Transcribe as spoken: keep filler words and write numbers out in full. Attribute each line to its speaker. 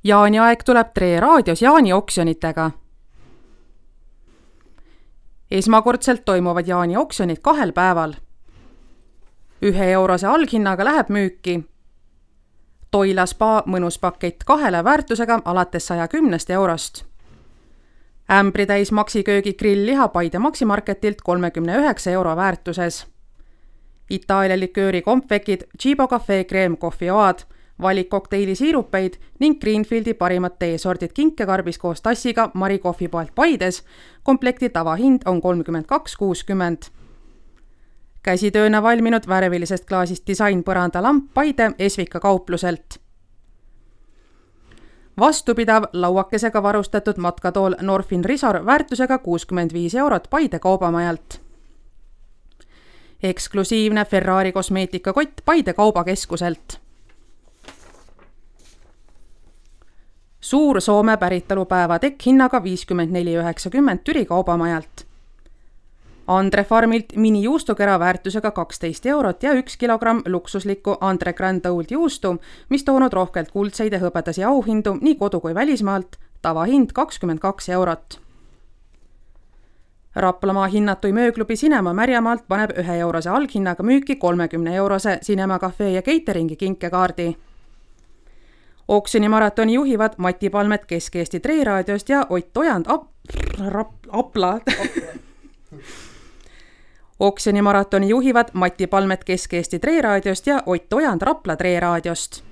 Speaker 1: Jaaniaeg tuleb Tre raadios Jaani oksjonitega. Esmakordselt toimuvad Jaani oksjonid kahel päeval. Ühe eurose alghinnaga läheb müüki Toila spa mõnus pakett kahele väärtusega alates saja kümnest eurost. Ämbritäis maksiköögi grillliha Paide Maksimarketilt kolmekümne üheksa euro väärtuses. Itaalia likööri kompvekid, Cibo Cafe kreemkohvioad, valik kokteili siirupeid ning Greenfieldi parimad teesordid kinkekarbis koos tassiga Mari kohvipoelt Paides. Komplekti tavahind on kolmkümmend kaks kuuskümmend. Käsitööna valminud värvilisest klaasist disain põrandalamp Paide Esvika kaupluselt. Vastupidav lauakesega varustatud matkatool Norfin Risor väärtusega kuuskümmend viis eurot Paide kaubamajalt. Eksklusiivne Ferrari kosmeetikakott Paide kaubakeskuselt. Suur Soome päritolupäeva tekk hinnaga viiskümmend neli üheksakümmend Türi kaubamajalt. Andre Farmilt mini juustukera väärtusega kaksteist eurot ja üks kilogramm luksuslikku Andre Grand Old juustu, mis toonud rohkelt kuldseid ja hõbedasi auhindu nii kodu kui välismaalt, tavahind kakskümmend kaks eurot. Raplamaa hinnatui mööklubi Cinema Märjamaalt paneb ühe eurose alghinnaga müüki kolmekümne eurose Cinema Cafe ja Cateringi kinkekaardi. Oksjoni maratoni juhivad Mati Palmet Kesk-Eesti Tre raadiost ja Ott Ojand ap rap Apla. Oksjoni maratoni juhivad Mati Palmet Kesk-Eesti Tre raadiost ja Ott Ojand Rapla Tre raadiost.